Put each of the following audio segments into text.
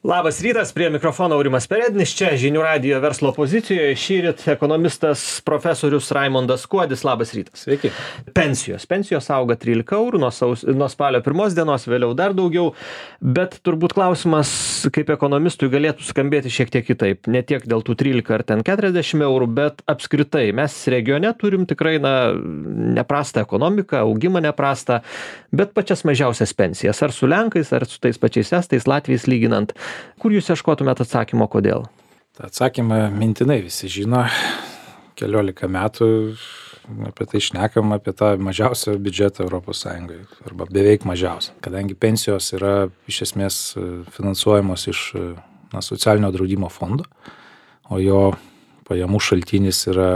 Labas rytas, prie mikrofono Aurimas Perednis, čia Žinių radijo verslo pozicijoje. Šįryt ekonomistas profesorius Raimondas Kuodis. Labas rytas. Sveiki. Pensijos auga 13 eurų nuo spalio 1 dienos, vėliau dar daugiau, bet turbūt klausimas, kaip ekonomistui, galėtų skambėti šiek tiek kitaip. Ne tiek dėl tų 13 ar ten 40 eurų, bet apskritai mes regione turim tikrai neprastą ekonomiką, augimą neprastą, bet pačias mažiausias pensijas. Ar su Lenkais, ar su tais pačiais Estais, Latviais lyginant. Kur jūs ieškotumėt atsakymo, kodėl? Ta atsakymą mintinai visi žino. 14 metų apie tai šnekam, apie tą mažiausią biudžetą Europos Sąjungoje, arba beveik mažiausią. Kadangi pensijos yra iš esmės finansuojamos iš socialinio draudimo fondo, o jo pajamų šaltinis yra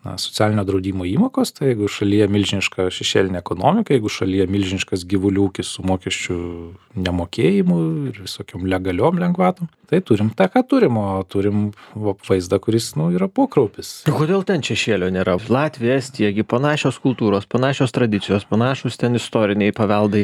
socialinio draudimo įmokos, tai jeigu šalyje milžiniška šešėlinė ekonomika, jeigu šalyje milžiniškas gyvulių ūkis su mokesčių nemokėjimu ir visokiom legaliom lengvatom, tai turim tą, ką turim, o turim vaizdą, kuris yra pokraupis. Kodėl ten šešėlio nėra? Latvija, Estija, panašios kultūros, panašios tradicijos, panašus ten istoriniai paveldai.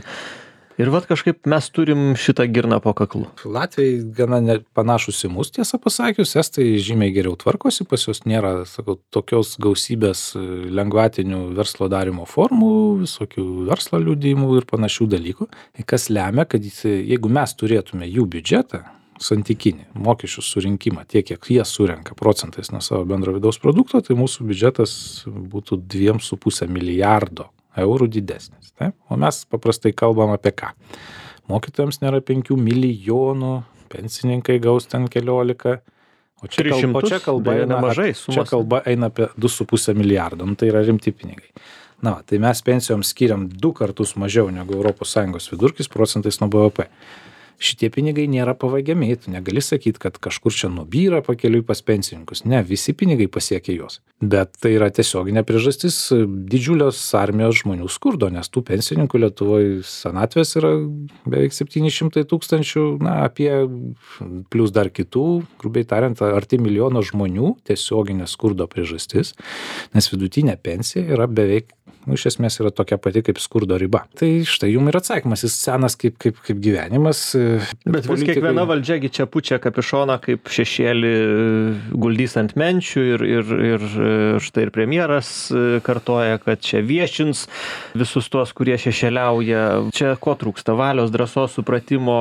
Ir vat kažkaip mes turim šitą girną po kaklu. Latvijai gana panašus į mus, tiesą pasakius, Estai žymiai geriau tvarkosi, pas juos nėra, tokios gausybės lengvatinių verslo darimo formų, visokių verslo liudijimų ir panašių dalykų. Kas lemia, kad jeigu mes turėtume jų biudžetą, santykinį mokesčių surinkimą, tiek kiek jie surenka procentais nuo savo bendro vidaus produkto, tai mūsų biudžetas būtų 2,5 milijardo eurų didesnis. Taip? O mes paprastai kalbam apie ką? Mokytojams nėra 5 milijonų, pensininkai gaus ten 14, o čia kalba eina apie 2,5 milijardo, tai yra rimti pinigai. Tai mes pensijoms skiriam 2 kartus mažiau negu ES vidurkis procentais nuo BVP. Šitie pinigai nėra pavagiami, tu negali sakyti, kad kažkur čia nubyra pakeliui pas pensininkus. Ne, visi pinigai pasiekia juos. Bet tai yra tiesioginė priežastis didžiulios armijos žmonių skurdo, nes tų pensininkų Lietuvoje senatvės yra beveik 700 tūkstančių, apie plus dar kitų, grubiai tariant, arti milijono žmonių tiesioginė skurdo priežastis, nes vidutinė pensija yra beveik iš esmės yra tokia pati kaip skurdo riba. Tai štai jums ir atsakymas, jis senas kaip gyvenimas. Bet vis kiekviena valdžiagi čia pučia kapišoną kaip šešėlį guldys ant menčių ir štai ir premjeras kartoja, kad čia viešins visus tuos, kurie šešėliauja. Čia ko trūksta? Valios, drąsos, supratimo,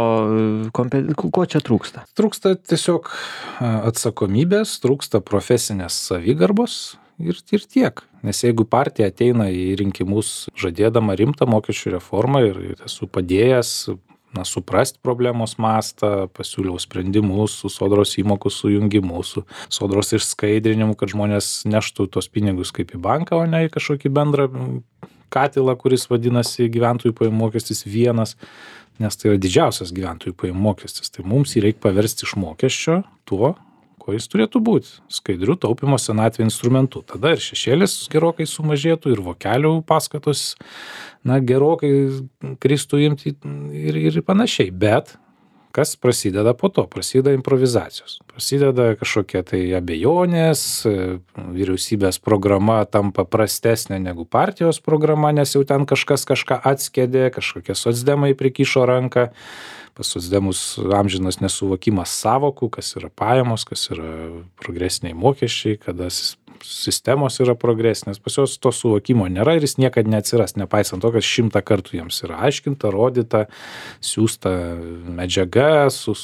ko čia trūksta? Trūksta tiesiog atsakomybės, trūksta profesinės savigarbos. Ir tiek. Nes jeigu partija ateina į rinkimus žadėdama rimtą mokesčių reformą ir esu padėjęs suprasti problemos mastą, pasiūliau sprendimus su sodros įmokų sujungimu, su sodros išskaidrinimu, kad žmonės neštų tos pinigus kaip į banką, o ne į kažkokį bendrą katilą, kuris vadinasi gyventojų pajamų mokestis vienas, nes tai yra didžiausias gyventojų pajamų mokestis. Tai mums jį reikia paversti iš mokesčio tuo, ko jis turėtų būti, skaidrių taupimo senatvė instrumentų. Tada ir šešėlis gerokai sumažėtų, ir vokelių paskatos gerokai kristų imti ir panašiai. Bet kas prasideda po to? Prasideda improvizacijos. Prasideda kažkokie tai abejonės, vyriausybės programa tampa prastesnė negu partijos programa, nes jau ten kažkas kažką atskėdė, kažkokie socdemai prikišo ranką. Pas socdemus amžinas nesuvokimas savokų, kas yra pajamos, kas yra progresiniai mokesčiai, kada sistemos yra progresinės. Pas juos to suvokimo nėra ir jis niekad neatsiras, nepaisant to, kad 100 kartų jiems yra aiškinta, rodyta, siūsta medžiaga su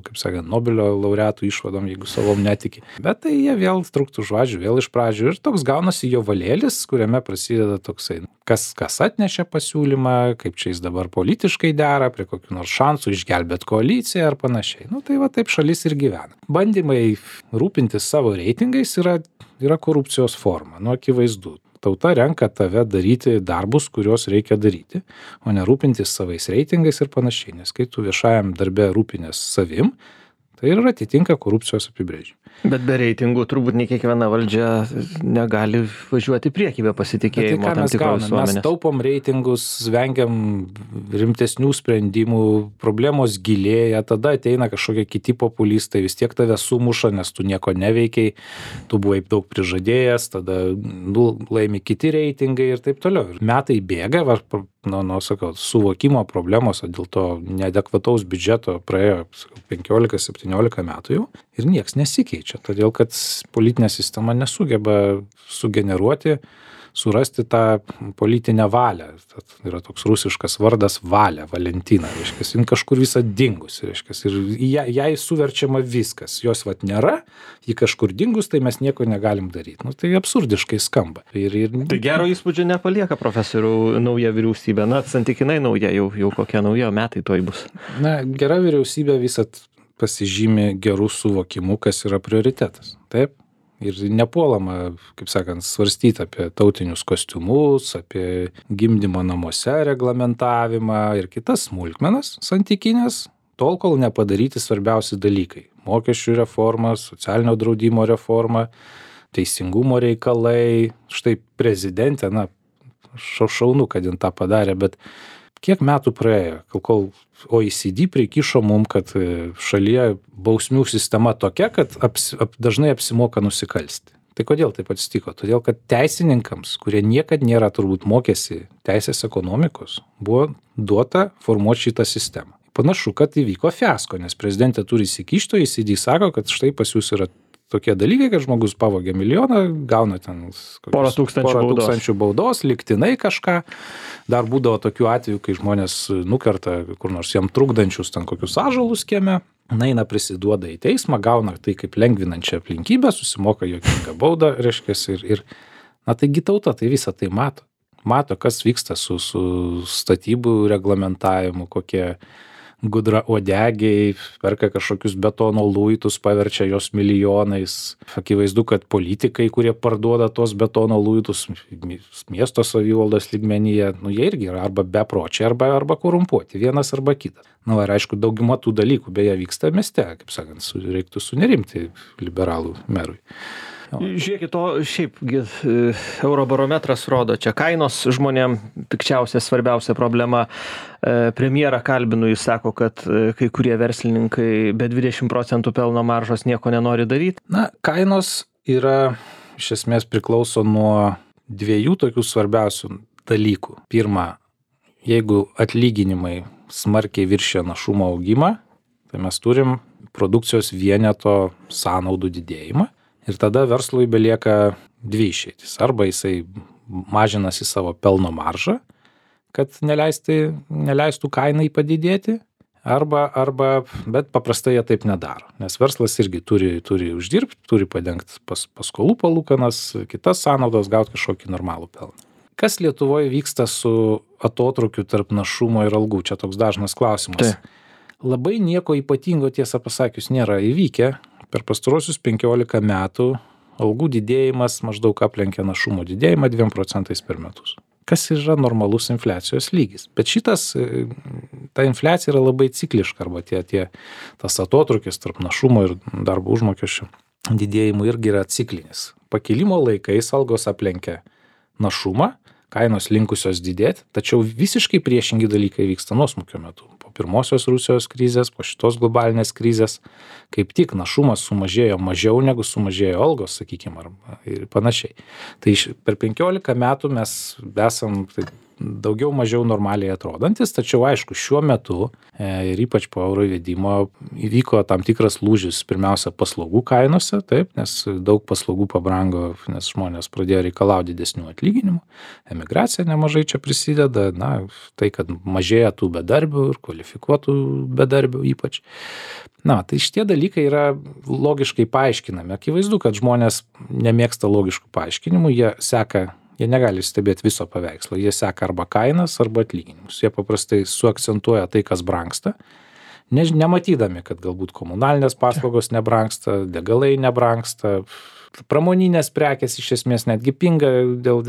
kaip sakant, Nobelio laureatų išvadom, jeigu savom netiki. Bet tai jie vėl truktų žodžių, vėl iš pradžių. Ir toks gaunasi jo valėlis, kuriame prasideda toksai, kas atnešė pasiūlymą, kaip čia jis dabar politiškai dera, prie kokių nors šansų išgelbėt koaliciją ar panašiai. Tai va taip šalis ir gyvena. Bandymai rūpintis savo reitingais yra korupcijos forma, akivaizdu. Tauta renka tave daryti darbus, kuriuos reikia daryti, o ne rūpintis savais reitingais ir panašiai. Nes kai tu viešajam darbe rūpinės savim, Tai ir atitinka korupcijos apibrėžimą. Bet be reitingų turbūt ne kiekviena valdžia negali važiuoti į priekį be pasitikėjimo tam tikros visuomenės. Mes taupom reitingus, vengiam rimtesnių sprendimų, problemos gilėja, tada ateina kažkokie kiti populistai, vis tiek tave sumuša, nes tu nieko neveikiai, tu buvai daug prižadėjęs, tada laimi kiti reitingai ir taip toliau. Ir metai bėga, sakau, suvokimo problemos, dėl to neadekvataus biudžeto praėjo 15-17 metų jau ir nieks nesikeičia, todėl kad politinė sistema nesugeba sugeneruoti, surasti tą politinę valią. Tad yra toks rusiškas vardas Valia, Valentina, reiškia, jin kažkur visą dingus, reiškia, ir jai suverčiama viskas, jos nėra, ji kažkur dingus, tai mes nieko negalim daryti. Nu, tai absurdiškai skamba. Tai gero įspūdžio nepalieka, profesorių, nauja vyriausybė, santykinai nauja, jau kokia nauja, metai toj bus. Gera vyriausybė visat pasižymi gerų suvokimų, kas yra prioritetas. Taip? Ir nepuolama, kaip sakant, svarstyti apie tautinius kostiumus, apie gimdymo namuose reglamentavimą ir kitas smulkmenas santykinės, tol kol nepadaryti svarbiausi dalykai. Mokesčių reforma, socialinio draudimo reforma, teisingumo reikalai. Štai prezidentė, šaunu, kad jin tą padarė, bet kiek metų praėjo, kol OECD prikišo mum, kad šalyje bausmių sistema tokia, kad dažnai apsimoka nusikalsti. Tai kodėl taip atsitiko? Todėl, kad teisininkams, kurie niekad nėra turbūt mokėsi teisės ekonomikos, buvo duota formuoti šitą sistemą. Panašu, kad įvyko fiasko, nes prezidentė turi įsikišti, OECD sako, kad štai pas jūs yra tokie dalykai, kad žmogus pavogė milijoną, gauna ten porą tūkstančių baudos, lygtinai kažką. Dar būdavo tokių atvejų, kai žmonės nukerta kur nors jam trukdančius ten kokius ąžuolus kieme, eina prisiduoda į teismą, gauna tai kaip lengvinančią aplinkybę, susimoka juokingą baudą, reiškia, ir taigi tauta tai visą tai mato. Mato, kas vyksta su statybų reglamentavimu, kokie gudrauodegiai perka kažkokius betono luitus, paverčia jos milijonais. Akivaizdu, kad politikai, kurie parduoda tos betono luitus miesto savivaldos lygmenyje, jie irgi yra arba bepročiai, arba korumpuoti, vienas arba kitas. Ir aišku, dauguma tų dalykų beje vyksta mieste, kaip sakant, reiktų sunerimti liberalų merui. Žiūrėkit, šiaipgi Eurobarometras rodo, čia kainos žmonėm pikčiausia, svarbiausia problema. Premjerą kalbinu, jis sako, kad kai kurie verslininkai be 20% pelno maržos nieko nenori daryti. Kainos yra, iš esmės priklauso nuo dviejų tokių svarbiausių dalykų. Pirma, jeigu atlyginimai smarkiai viršija našumo augimą, tai mes turim produkcijos vieneto sąnaudų didėjimą. Ir tada verslui belieka dvi išeitis. Arba jisai mažinasi savo pelno maržą, kad neleistų kainai padidėti, bet paprastai jie taip nedaro. Nes verslas irgi turi uždirbti, turi padengti paskolų palūkanas, kitas sąnaudos, gauti kažkokį normalų pelną. Kas Lietuvoje vyksta su atotrukiu tarp našumo ir algų? Čia toks dažnas klausimas. Labai nieko ypatingo, tiesą pasakius, nėra įvykę. Per pastarosius 15 metų algų didėjimas maždaug aplenkia našumo didėjimą 2% per metus. Kas yra normalus infliacijos lygis. Bet ta infliacija yra labai cikliška, arba tas atotrukis tarp našumo ir darbo užmokesčio didėjimų irgi yra ciklinis. Pakilimo laikais algos aplenkia našumą, kainos linkusios didėti, tačiau visiškai priešingi dalykai vyksta nuosmukio metu. Po pirmosios Rusijos krizės, po šitos globalinės krizės, kaip tik našumas sumažėjo mažiau negu sumažėjo algos, sakykime, ir panašiai. Tai per 15 metų mes esam daugiau mažiau normaliai atrodantis, tačiau aišku, šiuo metu ir ypač po euro įvedimo įvyko tam tikras lūžis, pirmiausia, paslaugų kainose, taip, nes daug paslaugų pabrango, nes žmonės pradėjo reikalauti didesnių atlyginimų, emigracija nemažai čia prisideda, tai, kad mažėja tų bedarbių ir kvalifikuotų bedarbių ypač. Tai šitie dalykai yra logiškai paaiškinami. Akivaizdu, kad žmonės nemėgsta logiškų paaiškinimų, jie negali stebėti viso paveikslo, jie seka arba kainas, arba atlyginimus. Jie paprastai suakcentuoja tai, kas brangsta, nematydami, kad galbūt komunalinės paslaugos nebrangsta, degalai nebrangsta, pramoninės prekės iš esmės netgi pinga dėl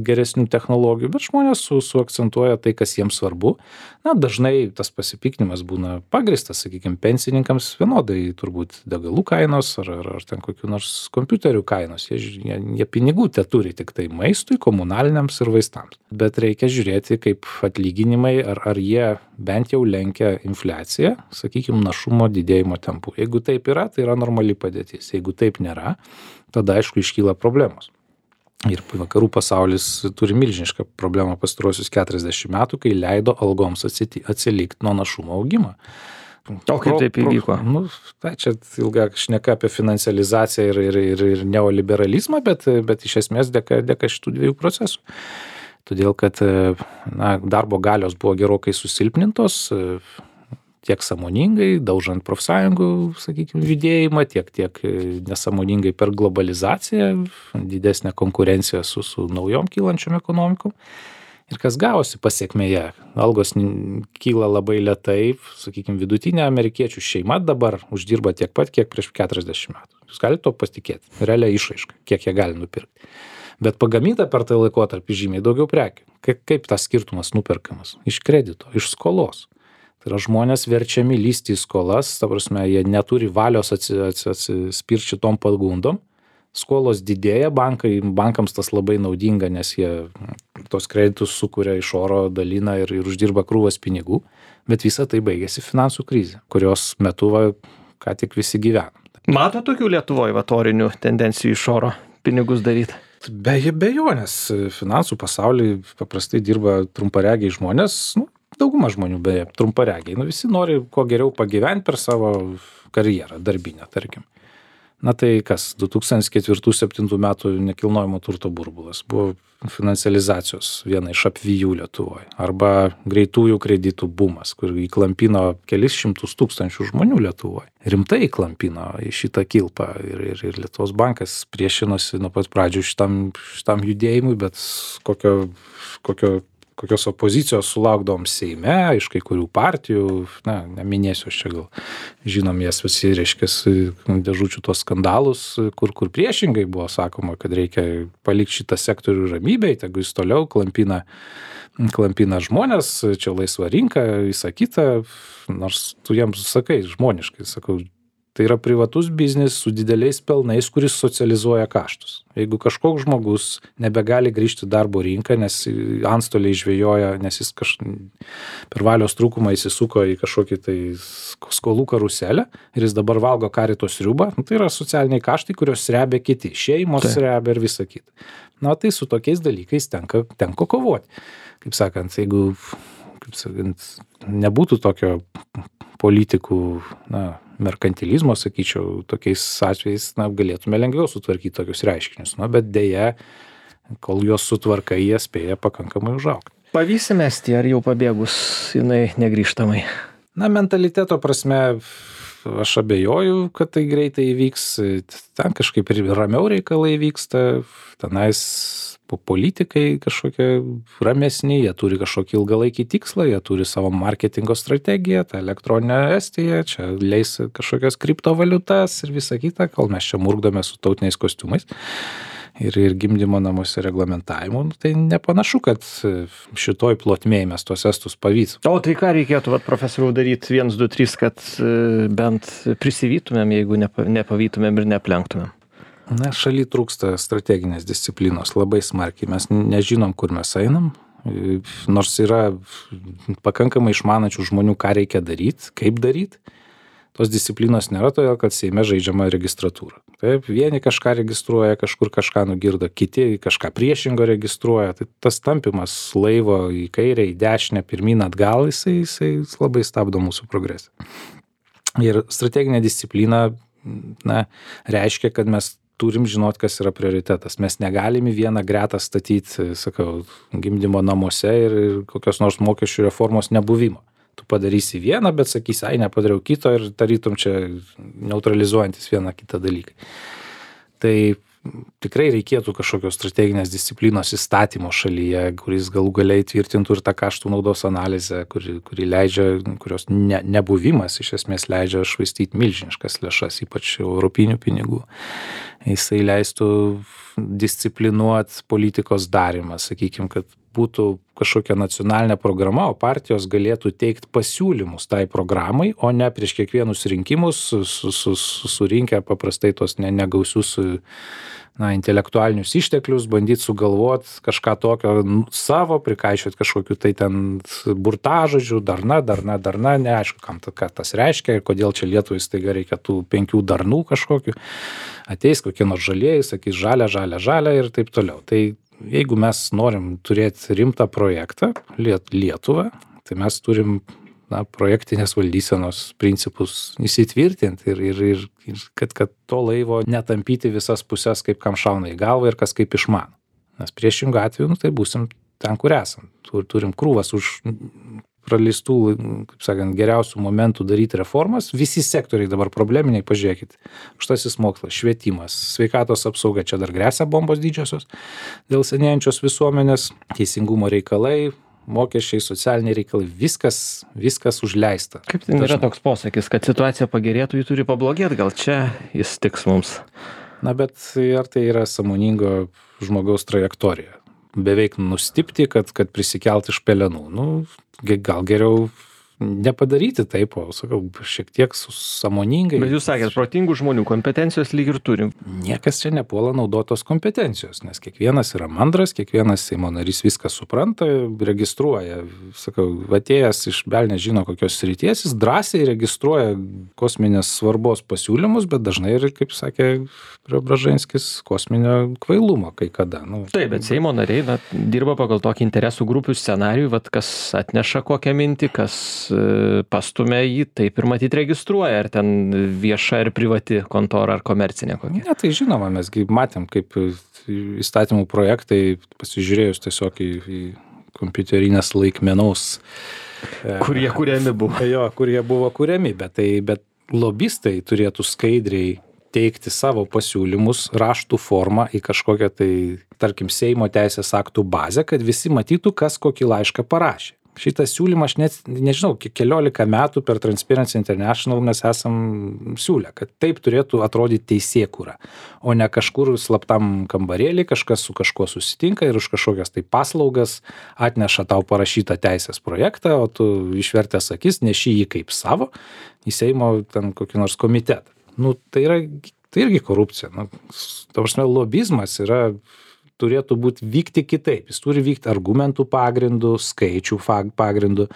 geresnių technologijų, bet žmonės suakcentuoja tai, kas jiems svarbu. Na, dažnai tas pasipiktinimas būna pagrįstas, sakykime, pensininkams vienodai turbūt degalų kainos ar ten kokių nors kompiuterių kainos. Jie pinigų turi tik tai maistui, komunaliniams ir vaistams. Bet reikia žiūrėti, kaip atlyginimai, ar jie bent jau lenkia infliaciją, sakykime, našumo didėjimo tempu. Jeigu taip yra, tai yra normali padėtis. Jeigu taip nėra, tada aišku iškyla problemos. Ir vakarų pasaulis turi milžinišką problemą pastaruosius 40 metų, kai leido algoms atsilikti nuo našumo augimo. O kaip taip įvyko? Tai čia ilga šneka apie financializaciją ir neoliberalizmą, bet iš esmės dėka šitų dviejų procesų. Todėl, kad darbo galios buvo gerokai susilpnintos, tiek sąmoningai, daužant profsąjungų, sakykime, judėjimą, tiek nesąmoningai per globalizaciją, didesnę konkurenciją su naujom kylančiom ekonomikom. Ir kas gavosi pasiekmėje? Algos kyla labai lėtai, sakykime, vidutinė amerikiečių šeima dabar uždirba tiek pat, kiek prieš 40 metų. Jūs galite to pasitikėti, realia išraiška, kiek jie gali nupirkti. Bet pagaminta per tą laikotarpį žymiai daugiau prekių. Kaip tas skirtumas nuperkamas? Iš kredito, iš skolos. Tai yra žmonės verčiami lysti į skolas, ta prasme, jie neturi valios atsispirti šitom pagundom. Skolos didėja, bankams tas labai naudinga, nes jie tos kreditus sukuria iš oro, dalina ir uždirba krūvas pinigų. Bet visa tai baigėsi finansų krizė, kurios metu ką tik visi gyvenam. Mato tokių Lietuvoje vatorinių tendencijų iš oro pinigus daryti? Be abejonės, finansų pasaulyje paprastai dirba trumparegiai žmonės, dauguma žmonių beje trumparegiai. Visi nori kuo geriau pagyventi per savo karjerą, darbinę, tarkim. Na tai kas, 2004-2007 metų nekilnojamo turto burbulas buvo financializacijos viena iš apvijų Lietuvoje. Arba greitųjų kreditų bumas, kur įklampino kelis šimtus tūkstančių žmonių Lietuvoje. Rimtai įklampino į šitą kilpą ir Lietuvos bankas priešinosi nuo pat pradžių šitam judėjimui, bet kokios opozicijos sulaukdavom Seime, iš kai kurių partijų, neminėsiu aš čia gal, žinom jas visi, reiškias, dėžučių tos skandalus, kur priešingai buvo sakoma, kad reikia palikti šitą sektorių ramybėj, tegu jis toliau klampina žmonės, čia laisva rinka, visą kitą, nors tu jiems sakai žmoniškai, sakau, tai yra privatus biznis su dideliais pelnais, kuris socializuoja kaštus. Jeigu kažkoks žmogus nebegali grįžti darbo rinką, nes antstoliai žvejoja, nes jis per valios trūkumą įsisuko į kažkokį tai skolų karuselę ir jis dabar valgo karito sriubą, tai yra socialiniai kaštai, kurios srebia kiti, šeimos srebia ir visa kita. Tai su tokiais dalykais tenko kovoti. Kaip sakant, jeigu nebūtų tokio politikų, merkantilizmo, sakyčiau, tokiais atvejais, galėtume lengviau sutvarkyti tokius reiškinius. Bet dėja, kol juos sutvarkai, jie spėja pakankamai užaugti. Pavysi mesti, ar jau pabėgus jinai negrįžtamai? Mentaliteto prasme, aš abejoju, kad tai greitai įvyks. Ten kažkaip ir ramiau reikalai vyksta. Tenais politikai kažkokie ramesni, jie turi kažkokį ilgalaikį tikslą, jie turi savo marketingo strategiją, tą elektroninę Estiją, čia leis kažkokias kriptovaliutas ir visa kita, kol mes čia murkdome su tautiniais kostiumais ir gimdymo namuose reglamentavimu, tai nepanašu, kad šitoj plotmėj mes tuos estus pavyks. O tai ką reikėtų, profesoriau, daryti 1, 2, 3, kad bent prisivytumėm, jeigu nepavytumėm ir neplenktumėm? Šaly trūksta strateginės disciplinos labai smarkiai. Mes nežinom, kur mes einam, nors yra pakankamai išmanančių žmonių, ką reikia daryti, kaip daryti. Tos disciplinos nėra, todėl kad Seime žaidžiama registratūra. Taip, vieni kažką registruoja, kažkur kažką nugirdo, kiti kažką priešingo registruoja. Tai tas tampimas laivo į kairę, į dešinę, pirmyn atgal, jisai labai stabdo mūsų progresą. Ir strateginė disciplina reiškia, kad mes turim žinot, kas yra prioritetas. Mes negalim į vieną gretą statyti, gimdymo namuose ir kokios nors mokesčių reformos nebuvimo. Tu padarysi vieną, bet sakysi, nepadariau kito ir tarytum čia neutralizuojantis vieną kitą dalyką. Tai tikrai reikėtų kažkokios strateginės disciplinos įstatymo šalyje, kuris galų galiai tvirtintų ir tą kaštų naudos analizę, kuri leidžia, kurios nebuvimas iš esmės leidžia švaistyti milžiniškas lėšas, ypač europinių pinigų. Jisai leistų disciplinuoti politikos darimą, sakykime, kad būtų kažkokia nacionalinė programa, o partijos galėtų teikti pasiūlymus tai programai, o ne prieš kiekvienus rinkimus surinkę paprastai tos negausius intelektualinius išteklius, bandyti sugalvoti kažką tokio savo, prikaišioti kažkokiu tai ten burtažodžių, darna, neaišku, ką tas reiškia ir kodėl čia Lietuvai staiga reikia tų 5 darnų kažkokių. Ateis kokie nors žalieji, sakys žalia ir taip toliau. Tai jeigu mes norim turėti rimtą projektą Lietuvą, tai mes turim projektinės valdysenos principus įsitvirtinti ir kad to laivo netampyti visas pusės, kaip kam šauna į galvą ir kas kaip išmano. Nes priešingų atveju, tai būsim ten, kur esam. Turim krūvas už praleistų, kaip sakant, geriausių momentų daryti reformas. Visi sektoriai dabar probleminiai, pažiūrėkit. Aukštasis mokslas, švietimas, sveikatos apsauga, čia dar gresia bombos didžiosios dėl senėjančios visuomenės, teisingumo reikalai, mokesčiai, socialiniai reikalai, viskas užleista. Kaip tai yra toks posakis, kad situacija pagerėtų, ji turi pablogėti, gal čia jis tiks mums? Bet ar tai yra sąmoningo žmogaus trajektorija? Beveik nustipti, kad prisikelt iš pelenų. Gal geriau nepadaryti taip, o sakau, šiek tiek sąmoningai. Bet jūs sakėt, protingų žmonių kompetencijos lyg ir turim. Niekas čia nepuola naudotos kompetencijos, nes kiekvienas yra mandras, kiekvienas Seimo narys viską supranta, registruoja. Sakau, atėjęs iš velnės žino kokios srities, jis drąsiai registruoja kosminės svarbos pasiūlymus, bet dažnai ir, kaip sakė Preobraženskis, kosminio kvailumo kai kada. Taip, bet Seimo nariai dirba pagal tokį interesų grupių scenarijų, kas atneša kokią mintį, kas pastumia jį, taip ir matyt registruoja, ar ten vieša ir privati kontora, ar komercinė kokia. Ne, tai žinoma, mesgi matėm, kaip įstatymų projektai, pasižiūrėjus tiesiog į kompiuterinės laikmenaus, kur jie kuriami buvo. Jo, kur jie buvo kuriami, bet lobistai turėtų skaidriai teikti savo pasiūlymus raštų formą į kažkokią tai, tarkim, Seimo teisės aktų bazę, kad visi matytų, kas kokį laišką parašė. Šitą siūlymą aš net, nežinau, 14 metų per Transparency International mes esam siūlę, kad taip turėtų atrodyti teisėkūra, o ne kažkur slaptam kambarėlį, kažkas su kažkuo susitinka ir už kažkokias tai paslaugas atneša tau parašytą teisės projektą, o tu išvertęs akis neši jį kaip savo į Seimo ten kokį nors komitetą. Tai irgi korupcija. Ta prasme, lobizmas turėtų vykti kitaip. Jis turi vykti argumentų pagrindų, skaičių pagrindų.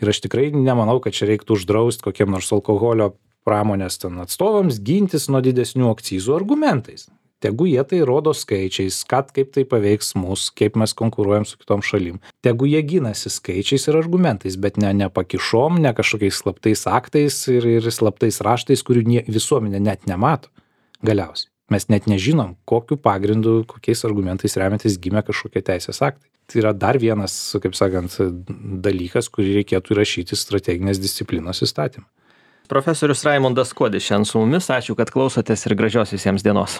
Ir aš tikrai nemanau, kad čia reiktų uždrausti kokiem nors alkoholio pramonės atstovams gintis nuo didesnių akcizų argumentais. Tegu jie tai rodo skaičiais, kaip tai paveiks mus, kaip mes konkuruojam su kitom šalim. Tegu jie ginasi skaičiais ir argumentais, bet ne pakišom, ne kažkokiais slaptais aktais ir slaptais raštais, kurių visuomenė net nemato galiausiai. Mes net nežinom, kokiu pagrindu, kokiais argumentais remiantis gimė kažkokie teisės aktai. Tai yra dar vienas, kaip sakant, dalykas, kurį reikėtų įrašyti strateginės disciplinos įstatymą. Profesorius Raimondas Kuodis šiandien su mumis. Ačiū, kad klausotės ir gražios visiems dienos.